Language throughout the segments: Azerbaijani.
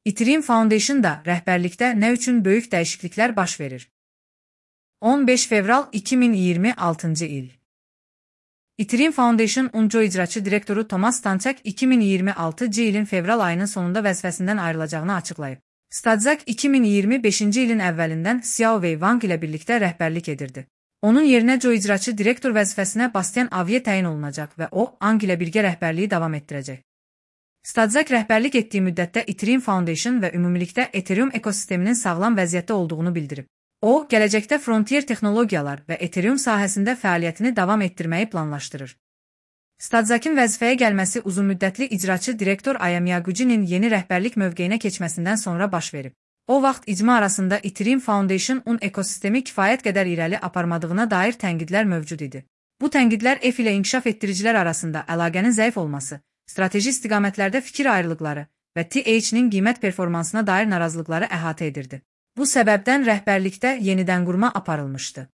Ethereum Foundation da rəhbərlikdə nə üçün böyük dəyişikliklər baş verir? 15 fevral 2026-cı il. Ethereum Foundation UNCO icraçı direktoru Thomas Stanchak 2026-cı ilin fevral ayının sonunda vəzifəsindən ayrılacağını açıqlayıb. Stanchak 2025-ci ilin əvvəlindən Xiaowei Wang ilə birlikdə rəhbərlik edirdi. Onun yerinə Joe icraçı direktor vəzifəsinə Bastian Avier təyin olunacaq və o, Ang ilə birgə rəhbərliyi davam etdirəcək. Stanchak rəhbərlik etdiyi müddətdə Ethereum Foundation və ümumilikdə Ethereum ekosisteminin sağlam vəziyyətdə olduğunu bildirib. O, gələcəkdə Frontier texnologiyalar və Ethereum sahəsində fəaliyyətini davam etdirməyi planlaşdırır. Stanchakın vəzifəyə gəlməsi uzunmüddətli icraçı direktor Aya Miyaguchi'nin yeni rəhbərlik mövqeyinə keçməsindən sonra baş verib. O vaxt icma arasında Ethereum Foundation-un ekosistemi kifayət qədər irəli aparmadığına dair tənqidlər mövcud idi. Bu tənqidlər ETH ilə inkişaf etdiricilər arasında əlaqənin zəif olması, strateji istiqamətlərdə fikir ayrılıqları və TH-nin qiymət performansına dair narazılıqları əhatə edirdi. Bu səbəbdən rəhbərlikdə yenidən qurma aparılmışdı.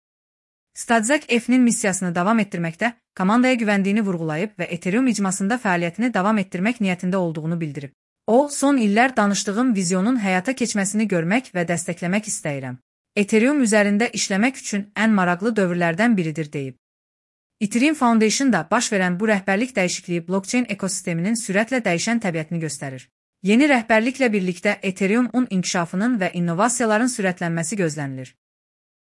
Stanchak ETH-nin missiyasını davam etdirməkdə, komandaya güvəndiyini vurğulayıb və Ethereum icmasında fəaliyyətini davam etdirmək niyyətində olduğunu bildirib. O, son illər danışdığım vizyonun həyata keçməsini görmək və dəstəkləmək istəyirəm. Ethereum üzərində işləmək üçün ən maraqlı dövrlərdən biridir deyib. Ethereum Foundation da baş verən bu rəhbərlik dəyişikliyi blockchain ekosisteminin sürətlə dəyişən təbiətini göstərir. Yeni rəhbərliklə birlikdə Ethereum-un inkişafının və innovasiyaların sürətlənməsi gözlənilir.